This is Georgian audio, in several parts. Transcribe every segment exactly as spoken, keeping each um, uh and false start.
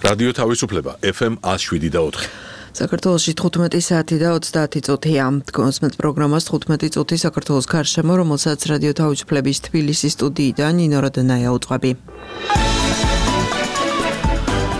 რადიო თავისუფლება ეფ ემ ათს შვიდი და ოთხი. საქართველოში თხუთმეტი საათი და ოცდაათი წუთია. Დგომსმენთ პროგრამას თხუთმეტი წუთი საქართველოს გარშემო, რომელსაც რადიო თავისუფლების თბილისის სტუდიიდან ნინო როდანაია უწყები.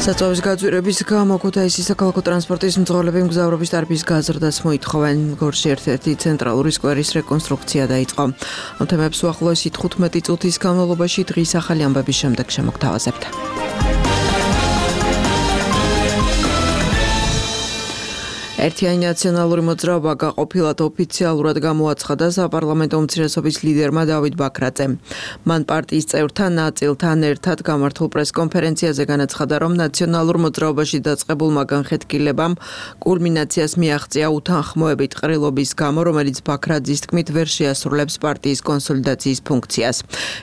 საწვავის გაძვირების გამო ქუთაისის საქალაქო ტრანსპორტის მძღოლები მგზავრობის ტარიფის გაზრდას მოითხოვენ. გორში ერთ-ერთი ცენტრალური სკვერის რეკონსტრუქცია დაიწყო. ამ თემებს უახლოესი თხუთმეტი წუთის განმავლობაში დღის ახალი ამბების შემდეგ შემოგთავაზებთ. ერთიანი ნაციონალური მოძრაობა გაყოფილად ოფიციალურად გამოაცხადა საპარლამენტო უმცირესობის ლიდერმა დავით ბაქრაძემ. მან პარტიის წევრთა ნაწილთან ერთად გამართულ პრესკონფერენციაზე განაცხადა, რომ ნაციონალურ მოძრაობაში დაწყებულმა განხეთქილებამ კულმინაციას მიაღწია უთანხმოებით ყრილობის გამო, რომელიც ბაქრაძის თქმით ვერ შეასრულებს პარტიის კონსოლიდაციის ფუნქციას.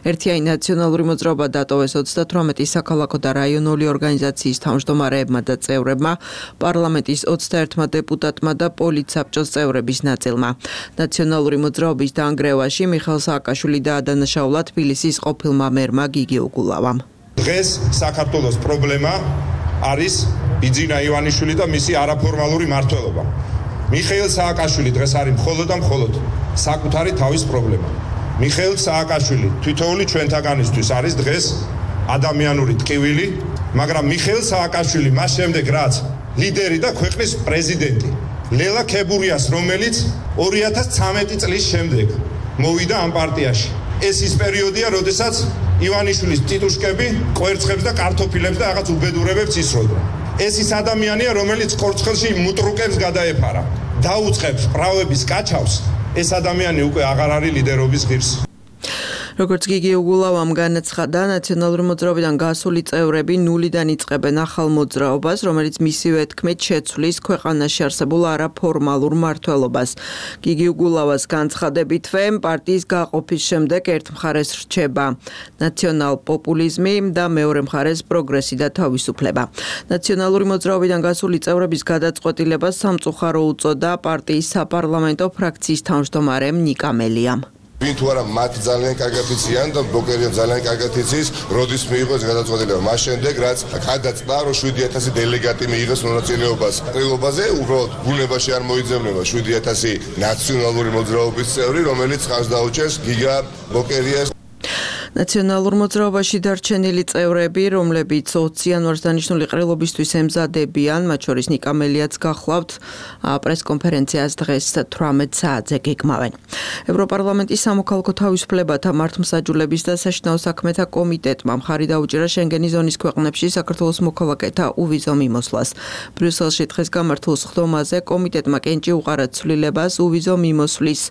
ერთიანი ნაციონალური მოძრაობა დატოვეს ოცდათვრამეტი საქალაქო და რაიონული ორგანიზაციის თავმჯდომარეებმა და წევრებმა, პარლამენტის ოცდაერთმა დეპუტატმა და პოლიტსაბჭოს წევრების ნაწილმა. ნაციონალური მოძრაობის დაანგრევაში მიხეილ სააკაშვილი დაადანაშაულა თბილისის ყოფილმა მერმა გიგი უგულავამ. დღეს საქართველოს პრობლემა არის ბიძინა ივანიშვილი და მისი არაფორმალური მმართველობა. მიხეილ სააკაშვილი დღეს არის მხოლოდ და მხოლოდ საკუთარი თავის პრობლემა. მიხეილ სააკაშვილი თითოეული ჩვენთაგანისთვის არის დღეს ადამიანური ტკივილი, მაგრამ მიხეილ სააკაშვილი მას შემდეგ რაც ლიდერი და ქვეყნის პრეზიდენტი ლელა ქებურიას, რომელიც ორი ათას ცხრამეტი წლის შემდეგ მოვიდა ამ პარტიაში. ეს ის პერიოდია, როდესაც ივანიშვილის ტიტუშკები კვერცხებს და კარტოფილებს და რაღაც უბედურებებს ისროდა. ეს ის ადამიანია, რომელიც კორცხელში მუტრუკებს გადაეფარა, დაუწყებს პრავების კაჩავს. ეს ადამიანი უკვე აღარ არის ლიდერობის ღირსი. როგორც გიგი უგულავამ განაცხადა, ნაციონალური მოძრაობიდან გასული წევრები ნულიდან იწყებენ ახალ მოძრაობას, რომელიც მისივე თქმით შეცვლის ქვეყანაში არსებულ არაფორმალურ მმართველობას. გიგი უგულავას განცხადებითვე, პარტიის გაყოფის შემდეგ ერთ მხარეს რჩება ნაციონალ-პოპულიზმი და მეორე მხარეს პროგრესი და თავისუფლება. ნაციონალური მოძრაობიდან გასული წევრების გადაწყვეტილებას სამწუხარო უწოდა პარტიის საპარლამენტო ფრაქციის თავმჯდომარემ ნიკა მელიამ. ვინ თუ არა მათ ძალიან კარგად იციან და ბლოკერია ძალიან კარგად იცის, როდის მიიღო ეს გადაწყვეტილება. მას შემდეგ რაც გადაწყდა, რომ შვიდი ათასი დელეგატი მიიღეს მონაწილეობას ყრილობაზე, უბრალოდ ბუნებაში არ მოიძებნება შვიდი ათასი ნაციონალური მოძრაობის წევრი, რომელიც ხარს დაუჭერს გიგა ბლოკერიას. ნაციონალურ მოძრაობაში დარჩენილი წევრები, რომლებიც ოცი იანვარს დანიშნული ყრილობისთვის ემზადებიან, მათ შორის ნიკა მელიაც გახლავთ, პრესკონფერენციას დღეს თვრამეტ საათზე გეგმავენ. ევროპარლამენტის სამოქალაქო თავისუფლებათა მართლმსაჯულების და საშინაო საქმეთა კომიტეტმა მხარი დაუჭირა შენგენის ზონის ქვეყნებში საქართველოს მოქალაქეთა უვიზო მიმოსვლას. ბრიუსელში დღეს გამართულ სხდომაზე კომიტეტმა კენჭი უყარა ცვლილებას უვიზო მიმოსვლის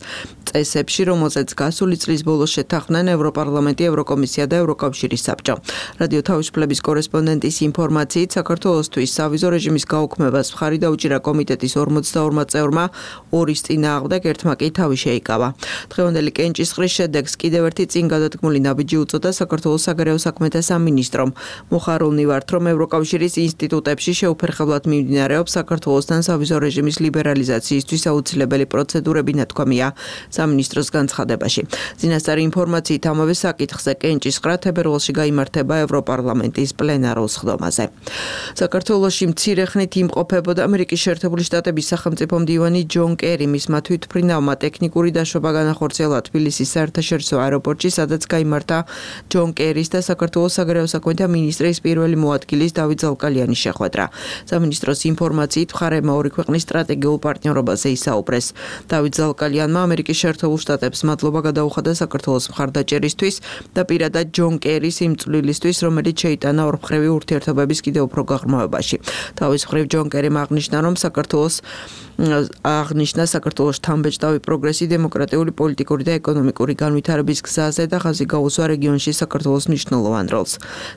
წესებში, რომელზეც გასული წლის ბოლოს შეთანხმდნენ ევროპარლამენტი, ევროკომისია და ევროკავშირის საბჭო. რადიო თავისუფლების კორესპონდენტის ინფორმაციით, საქართველოსთვის სავიზო რეჟიმის გაუქმებას მხარი დაუჭირა კომიტეტის ორმოცდაორმა წევრმა, ორის წინააღმდეგ ერთმა კი თავი შეიკავა. დღევანდელი კენჭისყრის შედეგს კიდევ ერთი წინ გადადგმული ნაბიჯი უწოდა საქართველოს საგარეო საქმეთა სამინისტრომ. მოხარულნი ვართ, რომ ევროკავშირის ინსტიტუტებში შეუფერხებლად მიმდინარეობს საქართველოსთან სავიზო რეჟიმის ლიბერალიზაციისთვის აუცილებელი პროცედურები ნათქვამია სამინისტროს განცხადებაში. წინასწარი ინფორმაციით ამავე საკითხზე კენჭისყრა თებერვალში გაიმართება ევროპარლამენტის პლენარულ სხდომაზე. საქართველოში მცირე ხნით იმყოფებოდა ამერიკის შეერთებული შტატების სახელმწიფო მდივანი ჯონ კერი, მისმა თვითმფრინავმა ტექნიკური დაშვება განახორციელა თბილისის საერთაშორისო აეროპორტში, სადაც გაიმართა ჯონ კერის და საქართველოს საგარეო საქმეთა მინისტრის პირველი მოადგილის დავით ზალკალიანის შეხვედრა. სამინისტროს ინფორმაციით, მხარეებმა ორი ქვეყნის სტრატეგიულ პარტნიორობაზე ისაუბრეს. დავით ზალკალიანმა ამერიკის შეერთებულ შტატებს მადლობა გადაუხადა საქართველოს მხარდაჭერისთვის და პირადად ჯონ კერის იმ წვლილისთვის, რომელიც შეიტანა ორმხრივი ურთიერთობების კიდევ უფრო გაღრმავებაში. თავის მხრივ ჯონ კერიმ აღნიშნა, რომ საქართველოს აღნიშნა საქართველოს შთამბეჭდავი პროგრესი დემოკრატიული, პოლიტიკური და ეკონომიკური განვითარების გზაზე და ხაზი გაუსვა რეგიონში საქართველოს მნიშვნელოვან როლს.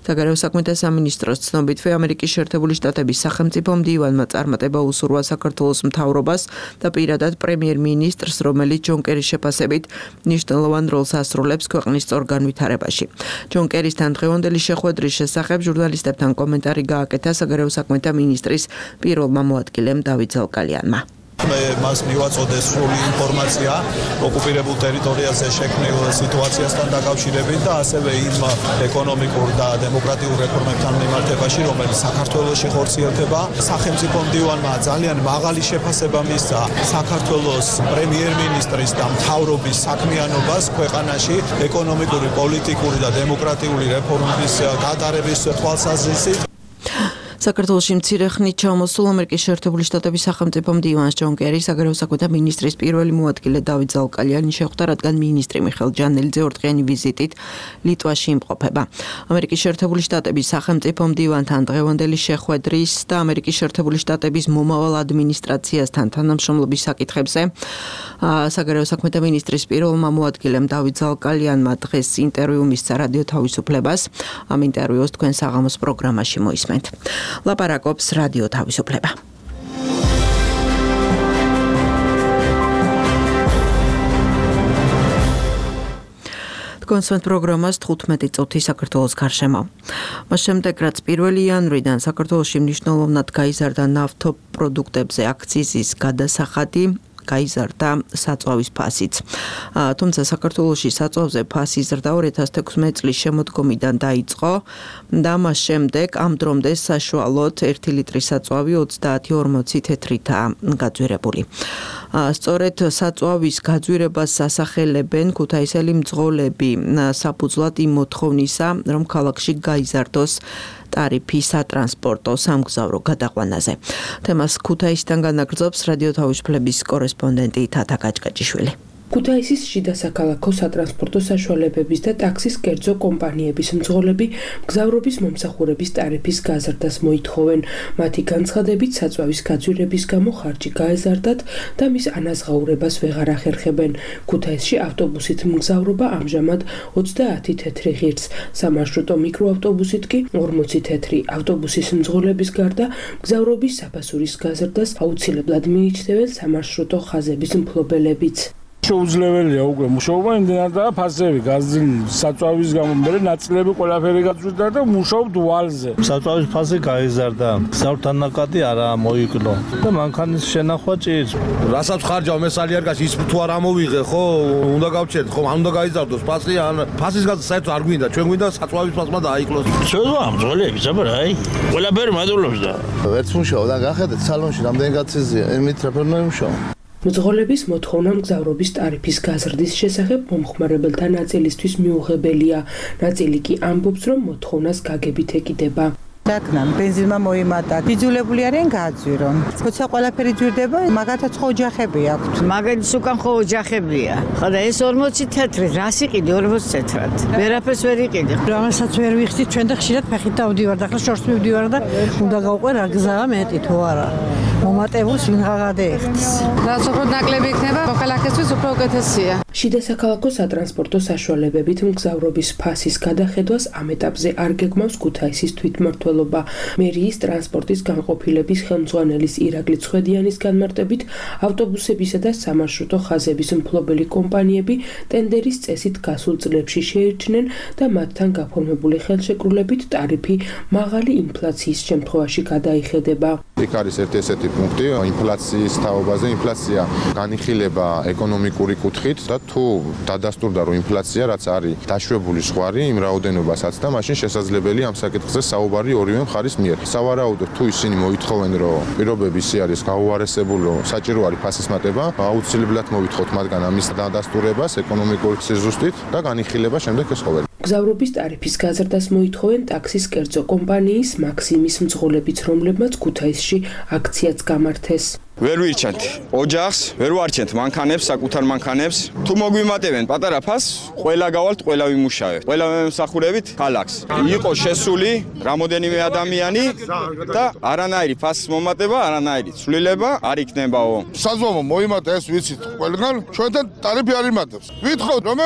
საგარეო საქმეთა სამინისტროს ცნობითვე, ამერიკის შეერთებული შტატების სახელმწიფო მდივანმა წარმატება უსურვა საქართველოს მთავრობას და პირადად პრემიერ-მინისტრს, რომელიც ჯონ კერის შეფასებით მნიშვნელოვან როლს ასრულებს ქვეყნის სწორ განვითარებაში. ჯონ კერისთან დღევანდელი შეხვედრის შესახებ ჟურნალისტებთან კომენტარი გააკეთა საგარეო საქმეთა მინისტრის პირველმა მოადგილემ დავით ზალკალიანმა. მე მას მივაწოდე სრული ინფორმაცია ოკუპირებულ ტერიტორიაზე შექმნილ სიტუაციასთან დაკავშირებით და ასევე იმ ეკონომიკურ და დემოკრატიულ რეფორმებთან მიმართებაში, რომელიც საქართველოში ხორციელდება. სახელმწიფო მდივანმა ძალიან მაღალი შეფასება მისცა საქართველოს პრემიერ-მინისტრის და მთავრობის საქმიანობას ქვეყანაში ეკონომიკური, პოლიტიკური და დემოკრატიული რეფორმების გატარების თვალსაზრისით. საქართველოში მცირე ხნით ჩამოსულ ამერიკის შეერთებული შტატების სახელმწიფო მდივანს ჯონ კერი საგარეო საქმეთა მინისტრის პირველი მოადგილე დავით ზალკალიანი შეხვდა, რადგან მინისტრი მიხეილ ჯანელიძე ორდღიანი ვიზიტით ლიტვაში იმყოფება. ამერიკის შეერთებული შტატების სახელმწიფო მდივანთან დღევანდელი შეხვედრის და ამერიკის შეერთებული შტატების მომავალ ადმინისტრაციასთან თანამშრომლობის საკითხებზე საგარეო საქმეთა მინისტრის პირველმა მოადგილემ დავით ზალკალიანმა დღეს ინტერვიუ მისცა რადიო თავისუფლებას. ამ ინტერვიუს თქვენ საღამოს პროგრამაში მოისმენთ. ლაპარაკობს რადიო თავისუფლება. კონსვენთ პროგრამას თხუთმეტი წუთი საქართველოს გარშემო. მას შემდეგ, რაც პირველი იანვრიდან საქართველოში მნიშვნელოვნად გაიზარდა ნავთობპროდუქტებზე აქციზის გადასახადი, გაიზარდა საწვავის ფასიც. თუმცა საქართველოში საწვავზე ფასის ზრდა ორი ათას თექვსმეტი წლის შემოდგომიდან დაიწყო და მას შემდეგ ამ დრომდე საშუალოდ ერთი ლიტრი საწვავი ოცდაათი ორმოცი თეთრითაა გაძვირებული. სწორედ საწვავის გაძვირებას ასახელებენ ქუთაისელი მძღოლები საფუძვლად იმ მოთხოვნისა, რომ ქალაქში გაიზარდოს ტარიფი სატრანსპორტო სამგზავრო გადაყვანაზე. თემას ქუთაისიდან განაგრძობს რადიო თავისუფლების კორესპონდენტი თათა გაჭკაჭიშვილი. ქუთაისის შიდა საქალაქო სატრანსპორტო საშუალებების და ტაქსის კერძო კომპანიების მძღოლები მგზავრობის მომსახურების ტარიფის გაზრდას მოითხოვენ. მათი განცხადებით, საწვავის გაძვირების გამო ხარჯი გაეზარდათ და მის ანაზღაურებას ვეღარ ახერხებენ. ქუთაისში ავტობუსით მგზავრობა ამჟამად ოცდაათი თეთრი ღირს, სამარშრუტო მიკროავტობუსით კი ორმოცი თეთრი. ავტობუსის მძღოლების გარდა მგზავრობის საფასურის გაზრდას აუცილებლად მიიჩნევენ სამარშრუტო ხაზების მფლობელებიც. შეუძლებელია უკვე მუშაობა იმდენად და ფასები გაზრდილი საწვავის გამო მე ნაწილები ყველაფერი გაწვირდა და მუშაობთ ვალზე. საწვავის ფასი გაიზარდა, გზავრთან ნაკადი არა მოიკლო და მანქანის შენახვა ჭირს. რასაც ხარჯავ მე სალიარკაში ის თუ არ ამოვიღე ხო, უნდა გავჩერდ ხო, ან უნდა გაიზარდოს ფასი, ან ფასის გაზრდა საერთოდ არ გვინდა, ჩვენ გვინდა საწვავის ფასმა დაიკლოს. შევა მძღოლები ზაბარა აი, ყველაფერი მადლობს და ვერც მუშაობ და გახედეთ სალონში რამდენი გაცეზია, იმით რაფერნო იმუშაო. მძღოლების მოთხოვნა მგზავრობის ტარიფის გაზრდის შესახებ მომხმარებელთა ნაწილისთვის მიუღებელია. ნაწილი კი ამბობს, რომ მოთხოვნას გაგებით ეკიდება. დაკნან ბენზინმა მოიმატა. იძულებული არიან გააძვირონ. როცა ყველაფერი ძვირდება, მაგათაც ხო ოჯახები აქვთ. მაგათაც უკან ხო ოჯახებია. ხოდა ეს ორმოცი თეთრი, რას იყიდი ორმოცი თეთრად? ვერაფერს ვერ იყიდი. რომელსაც ვერ ვიხდით ჩვენ და ხშირად ფეხით დავდივარ და ახლა შორს მივდივარ და უნდა გავყვე რა გზაა მეტი თუ არა. მომატებულს ვინ გადაეხდის. რაც უფრო ნაკლები იქნება, მოქალაქისთვის უფრო უკეთესია. შიდა საქალაქო სატრანსპორტო საშუალებებით მგზავრობის ფასის გადახედვას ამ ეტაპზე არ გეგმავს ქუთაისის თვითმმართველობა. მერიის ტრანსპორტის განყოფილების ხელმძღვანელის ირაკლი ცხედიანის განმარტებით, ავტობუსებისა და სამარშრუტო ხაზების მფლობელი კომპანიები ტენდერის წესით გასულ წლებში შეირჩნენ და მათთან გაფორმებული ხელშეკრულებით ტარიფი მაღალი ინფლაციის შემთხვევაში გადაიხედება. იქ არის ერთი ესეთი პუნქტი ინფლაციის თაობაზე. ინფლაცია განიხილება ეკონომიკური კუთხით და თუ დადასტურდა რომ ინფლაცია რაც არის დაშვებული ზღვარი იმ რაოდენობასაც და მაშინ შესაძლებელია ამ საკითხზე საუბარი ორივე მხარის მიერ. სავარაუდოდ თუ ისინი მოითხოვენ რომ პირობები ისე არის გაუარესებული რომ საჭირო არის ფასის მატება, აუცილებლად მოვითხოვთ მათგან ამის დადასტურებას ეკონომიკური სიზუსტით და განიხილება შემდეგ ეს ყოველი. მგზავრობის ტარიფის გაზრდას მოითხოვენ ტაქსის კერძო კომპანიის მაქსიმის მძღოლებიც, რომლებმაც ქუთაისში აქციაც გამართეს. ვერ ვირჩენთ ოჯახს, ვერ ვარჩენთ მანქანებს, საკუთარ მანქანებს. თუ მოგვიმატებენ პატარა ფასს, ყველა გავალთ, ყველა ვიმუშავებთ. ყველა მემსახურებით ქალაქს. იყო შესული რამოდენიმე ადამიანი და არანაირი ფასის მომატება, არანაირი ცვლილება არ იქნებაო. საზღვაო მოიმატა ეს ვიცით ყველგან, ჩვენთან ტარიფი არ იმატებს. ვითხოვთ რომ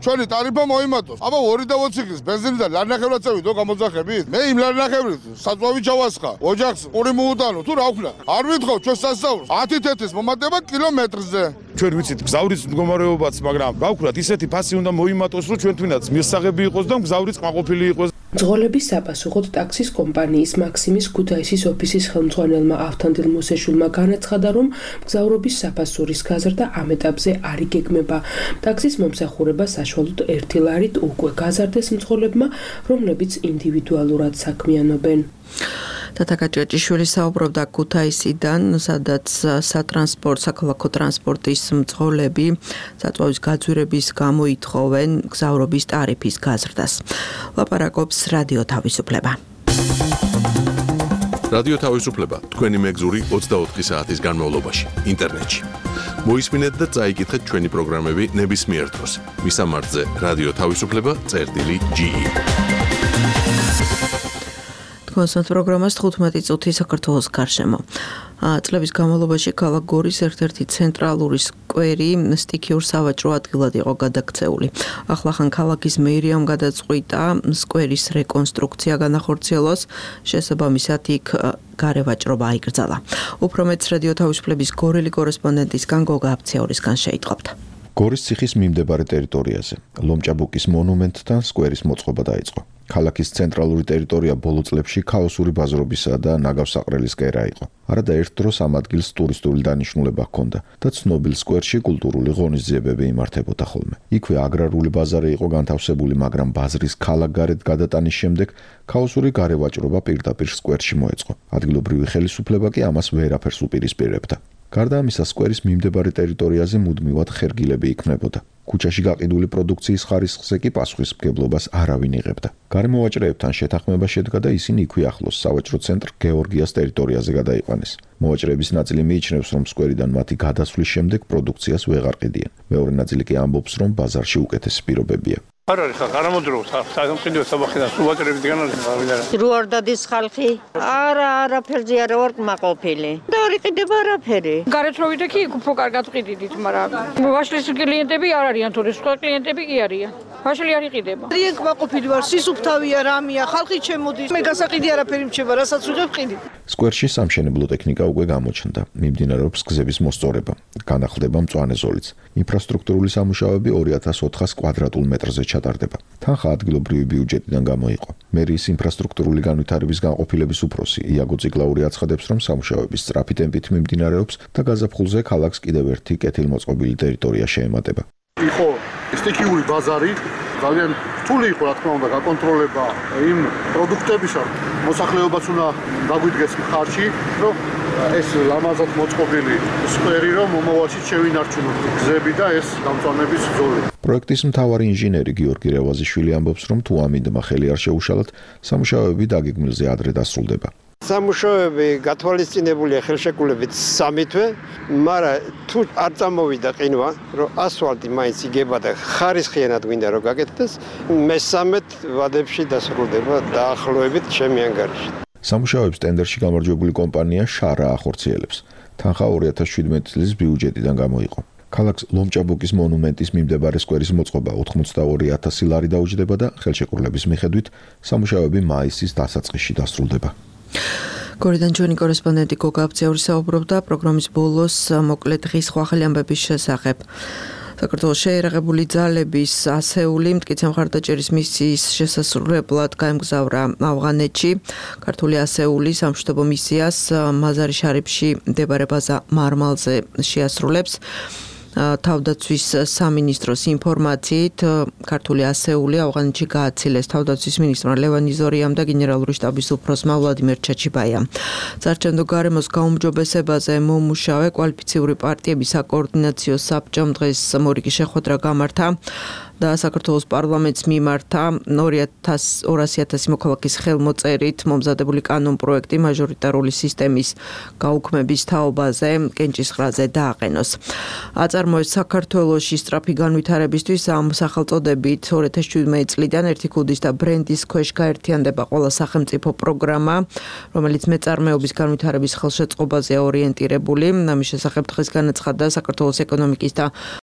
ჩვენი ტარიფა მოიმატოს. აბა ორი და ოცი წლის ბენზინი და ლარნახევრად წევიდო გამოძახებით. მე იმ ლარნახევრით საწვავი ჩავასხა. ოჯახს ორი მოუტანო თუ რა ვქნა. არ ვითხოვ ჩვენ სასწაულს. ათი თეთის მომატება კილომეტრზე. ჩვენ ვიცით გზავრის მდგომარეობაც, მაგრამ გავქრათ ისეთი ფასი უნდა მოიმატოს, რომ ჩვენ თვითონაც მისაღები იყოს და გზავრიც ყმაყოფილი იყოს. მძღოლების საპასუხოდ ტაქსის კომპანიის მაქსიმის ქუთაისის ოფისის ხელმძღვანელმა ავთანდილ მოსეშულმა განაცხადა, რომ მგზავრობის საფასურის გაზრდა ამ ეტაპზე არ იგეგმება. ტაქსის მომსახურება საშუალოდ ერთი ლარით უკვე გაზარდეს მძღოლებმა, რომლებიც ინდივიდუალურად საქმიანობენ. თათა ჭეჭიშვილი საუბრობდა ქუთაისიდან, სადაც სატრანსპორტ, საქალაქო ტრანსპორტის მძღოლები საწვავის გაძვირების გამო ითხოვენ მგზავრობის ტარიფის გაზრდას. ლაპარაკობს რადიო თავისუფლება. რადიო თავისუფლება თქვენი მეგზური ოცდაოთხი საათის განმავლობაში ინტერნეტში. მოისმინეთ და წაიკითხეთ ჩვენი პროგრამები ნებისმიერ დროს. მისამართზე რადიო თავისუფლება წერტილი ჯი ი. კონსერტ პროგრამას თხუთმეტი წუთი საქართველოს გარშემო. წლების განმავლობაში ქალაქ გორის ერთ-ერთი ცენტრალური სკვერი სტიქიურ სავაჭრო ადგილად იყო გადაქცეული. ახლახან ქალაქის მეერიამ გადაწყვიტა სკვერის რეკონსტრუქცია განახორციელოს, შესაბამისად იქ გარევაჭრობა აიკრძალა. უფრო მეტს რადიო თავისუფლების გორელი კორესპონდენტისგან გოგა აფციაურისგან შეიტყობთ. გორის ციხის მიმდებარე ტერიტორიაზე ლომჭაბუკის მონუმენტთან სკვერის მოწყობა დაიწყო. ქალაქის ცენტრალური ტერიტორია ბოლო წლებში ქაოსური ბაზრობისა და ნაგავსაყრელის კერა იყო. არადა ერთ დროს ამ ადგილს ტურისტული დანიშნულება ჰქონდა და ცნობილ სკვერში კულტურული ღონისძიებები იმართებოდა ხოლმე. იქვე აგრარული ბაზარი იყო განთავსებული, მაგრამ ბაზრის ქალაქგარეთ გადატანის შემდეგ ქაოსური გარევაჭრობა პირდაპირ სკვერში მოეწყო. ადგილობრივი ხელისუფლება კი ამას ვერაფერს უპირისპირებდა. გარდა ამისა, სკვერის მიმდებარე ტერიტორიაზე მუდმივად ხერგილები იქმნებოდა. ქუჩაში გაყიდული პროდუქციის ხარისხზე კი პასუხისმგებლობას არავინ იღებდა. გარემოვაჭრეებთან შეთანხმება შედგა და ისინი იქვე ახლოს სავაჭრო ცენტრ გეორგიას ტერიტორიაზე გადაიყვანეს. მოვაჭრეების ნაწილი მიიჩნევს, რომ სკვერიდან მათი გადასვლის შემდეგ პროდუქციას ვეღარ ყიდიან. მეორე ნაწილი კი ამბობს, რომ ბაზარში უკეთესი პირობებია. არ არის ხა გარამოდროს სამყიდო საბახიდან სუბაჭრებიდან არის გავიდარა. რო არ დადის ხალხი? არა, არაფერზე არა ვარ კმაყოფილი. და არ იყიდება არაფერი. გარეთ რო ვიდექი იქ უფრო კარგად ყიდით, მაგრამ ვაშლის კლიენტები არ არიან, თორე სხვა კლიენტები კი არიან. ვაშლი არ იყიდება. რიენ კმაყოფილი ვარ, სისუფთავია, რამია, ხალხი ჩემოდის. მე გასაყიდი არაფერი მრჩება, რასაც ვიღებ ყიდი. სკვერში სამშენებლო ტექნიკა უკვე გამოჩნდა. მიმდინარეობს გზების მოსწორება. განახლდება მწვანე ზოლიც. ინფრასტრუქტურული სამუშაოები ორი ათას ოთხას კვადრატულ მეტრზე ჩატარდება. თანხა ადგილობრივი ბიუჯეტიდან გამოიყო. მერიის ინფრასტრუქტურული განვითარების განყოფილების უფროსი იაგო წიგლაური აცხადებს, რომ სამუშაოები სწრაფი ტემპით მიმდინარეობს და გაზაფხულზე ქალაქს კიდევ ერთი კეთილმოწყობილი ტერიტორია შეემატება. იყო სტიქიური ბაზარი, ძალიან რთული იყო, რა თქმა უნდა, გაკონტროლება იმ პროდუქტებისა. მოსახლეობაც უნდა დაგვიდგეს მხარში, რომ ეს ლამაზად მოწყობილი სკვერი, რომ მომავალში შევინარჩუნოთ გზები და ეს გამწვანების ზოლი. პროექტის მთავარი ინჟინერი გიორგი რევაზიშვილი ამბობს, რომ თუ ამინდმა ხელი არ შეუშალათ, სამუშაოები დაგეგმილზე ადრე დასრულდება. სამუშაოები გათვალისწინებულია ხელშეკრულებით სამი თვე, მაგრამ თუ არ წამოვიდა ყინვა, რომ ასფალტი მაინც იგება და ხარისხიანად გვინდა რომ გაკეთდეს, მესამედ ვადებში დასრულდება დაახლოებით ჩემი ანგარიში. სამუშაოებს ტენდერში გამარჯვებული კომპანია შარა ახორციელებს. თანხა ორი ათას შვიდმეტი წლის ბიუჯეტიდან გამოიყო. ქალაქს ლომჭაბუკის მონუმენტის მიმდებარე სკვერის მოწყობა ოთხმოცდაორი ათასი ლარი დაუჯდება და ხელშეკრულების მიხედვით სამუშაოები მაისის დასაწყისში დასრულდება. გორიდან ჩვენი კორესპონდენტი გოგა აფციაური საუბრობდა პროგრამის ბოლოს მოკლე დღის ხვახელი ამბების შესახებ. საქართველოს შეერაღებული ძალების ასეული მტკიცე მხარდაჭერის მისიის შესასრულებლად გაემგზავრა ავღანეთში. ქართული ასეული სამშვიდობო მისიას მაზარი შარიფში მდებარე ბაზა მარმალზე შეასრულებს. თავდაცვის სამინისტროს ინფორმაციით ქართული ასეული ავღანეთში გააცილეს თავდაცვის მინისტრმა ლევან იზორიამ და გენერალური შტაბის უფროსმა ვლადიმერ ჩაჩიბაიამ. საარჩევნო გარემოს გაუმჯობესებაზე მომუშავე კვალიფიციური პარტიების საკოორდინაციო საბჭომ დღეს მორიგი შეხვედრა გამართა და საქართველოს პარლამენტს მიმართა ორასი ათასი მოქალაქის ხელმოწერით მომზადებული კანონ-პროექტი მაჟორიტარული სისტემის გაუქმების თაობაზე კენჭისყრაზე დააყენოს. აწარმოეს საქართველოში სწრაფი განვითარებისთვის ამ სახელწოდებით ორი ათას შვიდმეტი წლიდან ერთი ქუდის და ბრენდის ქვეშ გაერთიანდება ყველა სახელმწიფო პროგრამა, რომელიც მეწარმეობის განვითარების ხელშეწყობაზეა ორიენტირებული. ამის შესახებ დღეს განაცხადა საქართველოს ეკონომიკის და